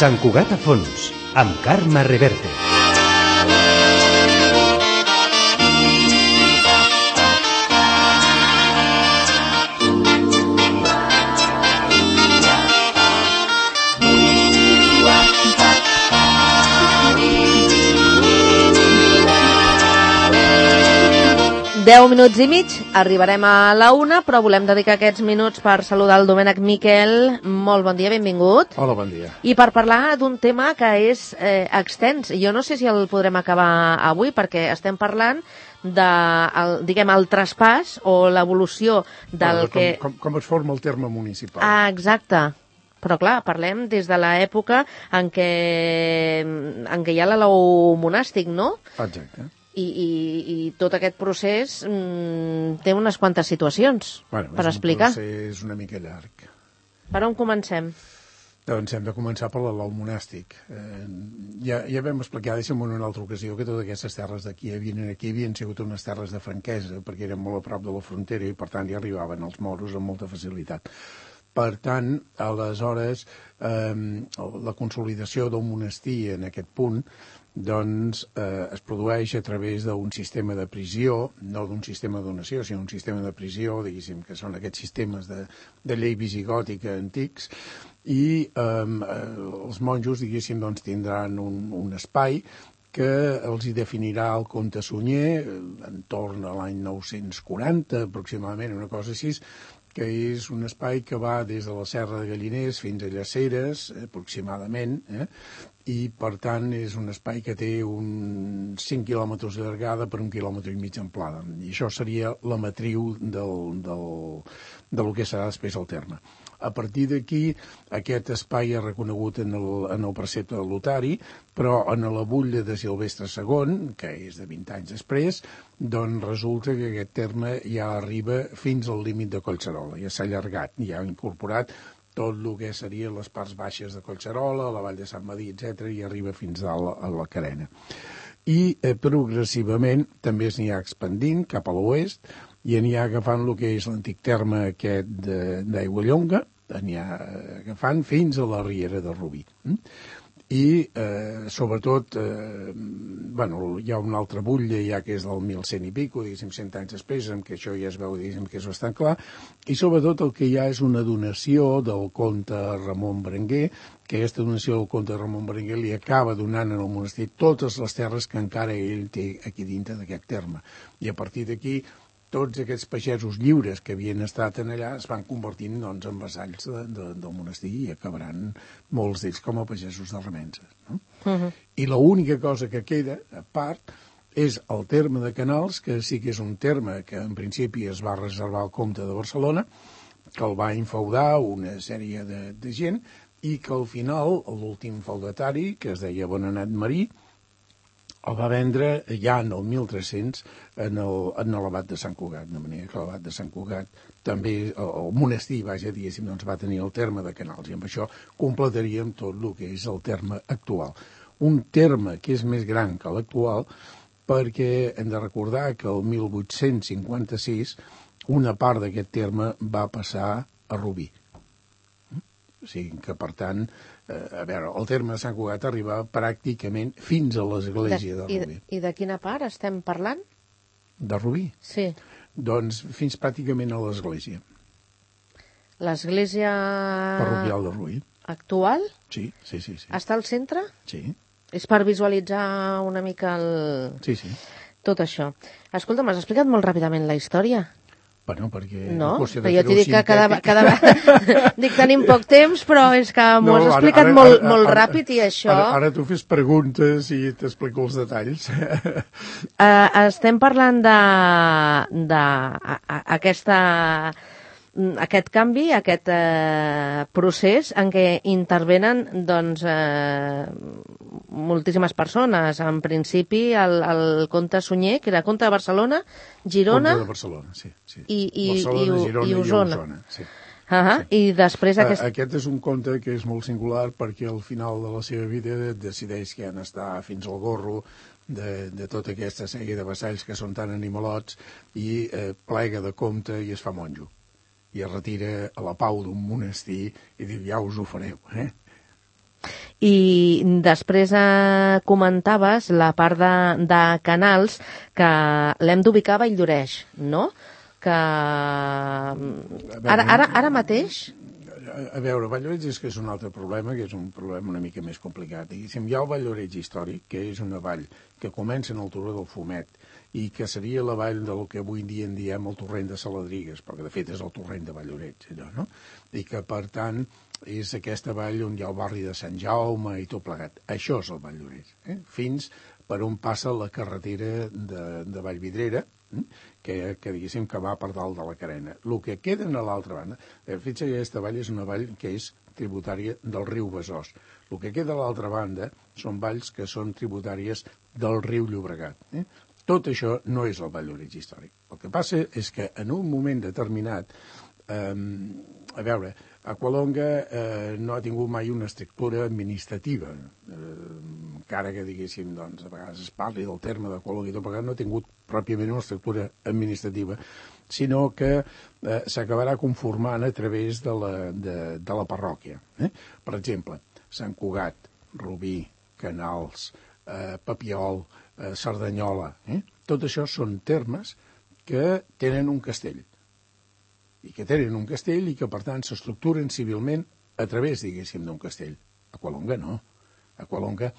Sant Cugat a fons, amb Carme Reverte. Deu minuts i mig, arribarem a la 1, però volem dedicar aquests minuts per saludar el Domènec Miquel. Molt bon dia, benvingut. Hola, bon dia. I per parlar d'un tema que és extens. Jo no sé si el podrem acabar avui, perquè estem parlant de, el traspàs o l'evolució del que... Com es forma el terme municipal. Ah, exacte. Però clar, parlem des de l'època en què hi ha l'alou monàstic, no? Exacte. I tot aquest procés té unes quantes situacions per explicar. És un procés una mica llarg. Per on comencem? Doncs hem de començar per l'alou monàstic. Ja vam explicar, deixa'm en una altra ocasió, que totes aquestes terres d'aquí havien sigut unes terres de franquesa, perquè eren molt a prop de la frontera i per tant hi arribaven els moros amb molta facilitat. Per tant, aleshores, la consolidació del monestir en aquest punt doncs es produeix a través d'un sistema de prisió, no d'un sistema de donació, sinó un sistema de prisió, diguéssim, que són aquests sistemes de llei visigòtica antics, i els monjos, diguéssim, doncs, tindran un espai que els hi definirà el comte Sunyer entorn a l'any 940, aproximadament, una cosa així, que és un espai que va des de la Serra de Galliners fins a Llaceres, aproximadament, i per tant és un espai que té uns 5 quilòmetres de llargada per 1,5 quilòmetres d'amplada. I això seria la matriu del que serà després el terme. A partir d'aquí, aquest espai és reconegut en el precepte de Lotari, però en la butlla de Silvestre II, que és de 20 anys després, doncs resulta que aquest terme ja arriba fins al límit de Collserola, ja s'ha allargat, ja ha incorporat tot el que serien les parts baixes de Collserola, la vall de Sant Madí, etc., i arriba fins a la Carena. I progressivament també s'hi ha expandint cap a l'oest i anirà agafant el que és l'antic terme aquest d'Aiguallonga, anirà agafant fins a la Riera de Rubí. I, sobretot, hi ha una altra butlla ja que és del 1100 i pico, diguéssim, 100 anys després, en què això ja es veu, diguéssim, que és bastant clar, i sobretot el que hi ha és una donació del comte Ramon Berenguer, que aquesta donació del comte Ramon Berenguer li acaba donant al monestir totes les terres que encara ell té aquí dintre d'aquest terme. I a partir d'aquí, tots aquests pagesos lliures que havien estat en allà es van convertint doncs, en vassalls del monestir i acabaran molts d'ells com a pagesos de remenses. No? I l'única cosa que queda, a part, és el terme de Canals, que sí que és un terme que en principi es va reservar al comte de Barcelona, que el va infeudar una sèrie de gent i que al final l'últim feudatari, que es deia Bonanat Marí, el va vendre ja en el 1300 en l'abat de Sant Cugat, de manera que l'abat de Sant Cugat també, el monestir, diguéssim, doncs va tenir el terme de Canals, i amb això completaríem tot el que és el terme actual. Un terme que és més gran que l'actual, perquè hem de recordar que el 1856 una part d'aquest terme va passar a Rubí. O sigui que, per tant, el terme de Sant Cugat arriba pràcticament fins a l'església de Rubí. I de quina part estem parlant? De Rubí? Sí. Doncs fins pràcticament a l'església. L'església... Parroquial de Rubí. Actual? Sí. Està al centre? Sí. És per visualitzar una mica Sí. tot això. Escolta, m'has explicat molt ràpidament la història. Bueno, perquè... No, però jo t'hi dic que cada dic, tenim poc temps, però és que m'ho has explicat molt ràpid i això... Ara tu fes preguntes i t'explico els detalls. Estem parlant aquest canvi, aquest procés en què intervenen doncs, moltíssimes persones. En principi, el comte Sunyer, que era comte de Barcelona, Girona... Comte de Barcelona, sí. Barcelona, Girona i Osona. Sí. I després... Aquest és un conte que és molt singular perquè al final de la seva vida decideix que han d'estar fins al gorro de tota aquesta sèrie de vassalls que són tan animalots i plega de comte i es fa monjo. I es retira a la pau d'un monestir i diu, ja us ho fareu, I després comentaves la part de Canals, que l'hem d'ubicar a Valldoreix, no? Que ara mateix... A veure, Valldoreix és que és un altre problema, que és un problema una mica més complicat. Diguéssim, hi ha el Valldoreix històric, que és una vall que comença en el Turó del Fumet i que seria la vall del que avui en dia en diem el torrent de Saladrigues, perquè de fet és el torrent de Valldoreix, allò, no? I que, per tant, és aquesta vall on hi ha el barri de Sant Jaume i tot plegat. Això és el Valldoreix, fins per on passa la carretera de Vallvidrera, que diguéssim que va per dalt de la Carena. El que queda a l'altra banda, fixa't que aquesta vall és una vall que és tributària del riu Besòs. El que queda a l'altra banda són valls que són tributàries del riu Llobregat. Tot això no és el Valldoreix històric. El que passa és que en un moment determinat, a veure, Aqualonga no ha tingut mai una estructura administrativa, encara que diguéssim, doncs, a vegades es parli del terme d'Aqualonga i tot plegat, no ha tingut pròpiament una estructura administrativa, sinó que s'acabarà conformant a través de la parròquia. Per exemple, Sant Cugat, Rubí, Canals, Papiol, Cerdanyola, tot això són termes que tenen un castell i que per tant s'estructuren civilment a través, diguéssim, d'un castell. Aqualonga no. Aqualonga,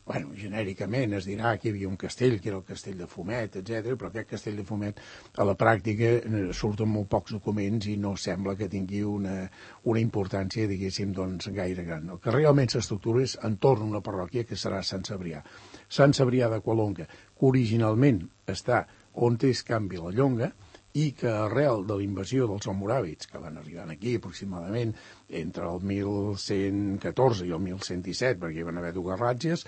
bueno, genèricament es dirà que hi havia un castell, que era el castell de Fumet, etc., però aquest castell de Fumet a la pràctica surt en molt pocs documents i no sembla que tingui una importància, diguéssim, doncs, gaire gran. El que realment s'estructura és entorn a una parròquia que serà Sant Cebrià. Sant Cebrià d'Aqualonga, que originalment està on és Can Vilallonga, i que arrel de la invasió dels almoràvits, que van arribar aquí aproximadament entre el 1114 i el 1117, perquè hi van haver dues ràtzies,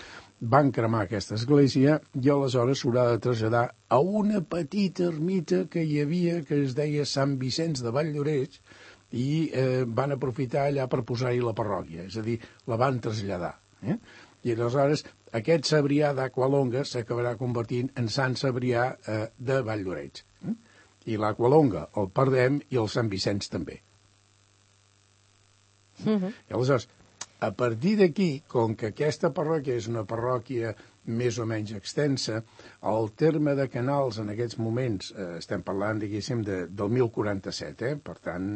van cremar aquesta església i aleshores s'haurà de traslladar a una petita ermita que hi havia, que es deia Sant Vicenç de Valldoreix, i van aprofitar allà per posar-hi la parròquia, és a dir, la van traslladar. I aleshores aquest Cebrià d'Aqualonga s'acabarà convertint en Sant Cebrià de Valldoreix. I l'Aqualonga el perdem i el Sant Vicenç també. I aleshores, a partir d'aquí, com que aquesta parròquia és una parròquia més o menys extensa, el terme de Canals en aquests moments, estem parlant, diguéssim, del 1047, per tant,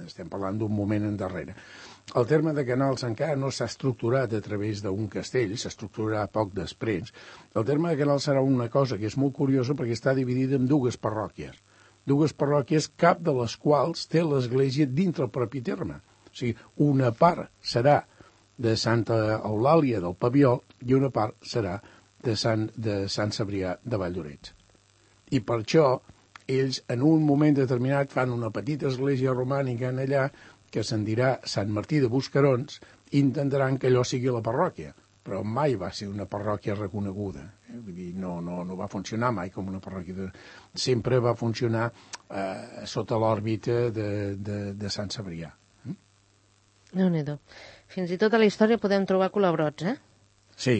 estem parlant d'un moment endarrere. El terme de Canals encara no s'ha estructurat a través d'un castell, s'estructurarà poc després. El terme de Canals serà una cosa que és molt curiosa perquè està dividida en dues parròquies, cap de les quals té l'església dintre el propi terme. O sigui, una part serà de Santa Eulàlia del Papiol i una part serà de Sant Cebrià de Valldoreix. I per això ells en un moment determinat fan una petita església romànica en allà que se'n dirà Sant Martí de Buscarons i intentaran que allò sigui la parròquia, però mai va ser una parròquia reconeguda. Vull dir, no va funcionar mai com una parròquia. Sempre va funcionar sota l'òrbita de Sant Cebrià. Déu-n'hi-do. Fins i tot a la història podem trobar colabrots, Sí.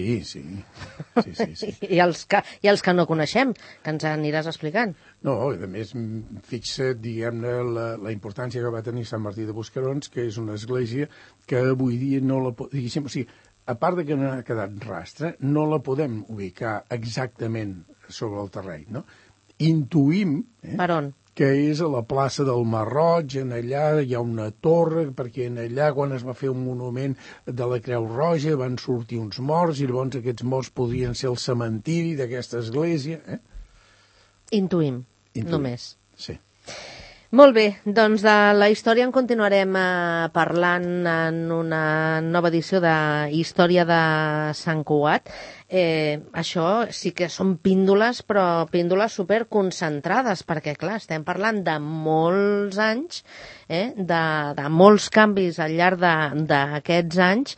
I els que no coneixem, que ens aniràs explicant. No, a més, fixa't, diguem-ne, la importància que va tenir Sant Martí de Buscarons, que és una església que avui dia no la... Diguéssim, o sigui, a part de que no ha quedat rastre, no la podem ubicar exactament sobre el terreny, no? Intuïm... Per on? Que és a la plaça del Marroig, en allà hi ha una torre, perquè en allà, quan es va fer un monument de la Creu Roja, van sortir uns morts, i llavors aquests morts podrien ser el cementiri d'aquesta església. Intuïm, només. Sí. Molt bé, doncs de la història en continuarem parlant en una nova edició de Història de Sant Cugat. Això sí que són píndoles, però píndoles superconcentrades, perquè clar, estem parlant de molts anys, de molts canvis al llarg d'aquests anys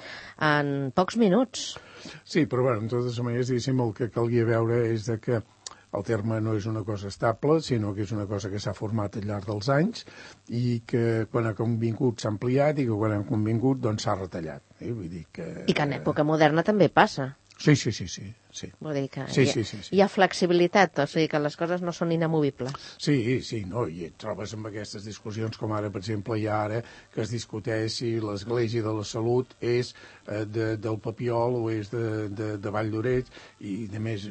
en pocs minuts. Sí, però bueno, en totes maneres, diguéssim, el que calguia veure és que el terme no és una cosa estable, sinó que és una cosa que s'ha format al llarg dels anys i que quan ha convingut s'ha ampliat i que quan ha convingut doncs s'ha retallat. Vull dir que... I que en època moderna també passa. Sí. Vull dir que Sí. hi ha flexibilitat, o sigui que les coses no són inamovibles. Sí, no, i et trobes amb aquestes discussions, com ara, per exemple, hi ha ara que es discuteix si l'Església de la Salut és del Papiol o és de Vall d'Oreig, i a més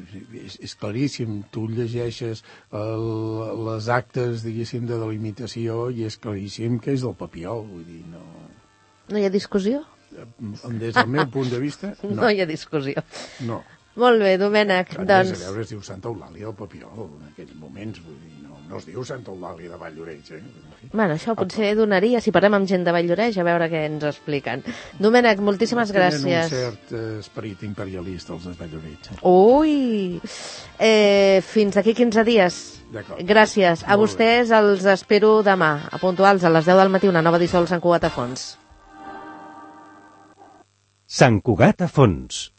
és claríssim, tu llegeixes les actes, diguéssim, de delimitació i és claríssim que és del Papiol, vull dir, no... No hi ha discussió? Des del meu punt de vista, no. No hi ha discussió. No. Molt bé, Domènec, doncs... A veure, es diu Santa Eulàlia del Papiol en aquells moments, vull dir, no es diu Santa Eulàlia de Vall d'Oreig, Bueno, això potser donaria, si parlem amb gent de Vall d'Oreig, a veure què ens expliquen. Domènec, moltíssimes gràcies. Tenen un cert esperit imperialista, els de Vall d'Oreig. Ui! Fins aquí 15 dies. D'acord. Gràcies. A vostès els espero demà, a puntuals, a les 10 del matí, una nova edició del Sant Cugat a Fons. Sant Cugat a Fons,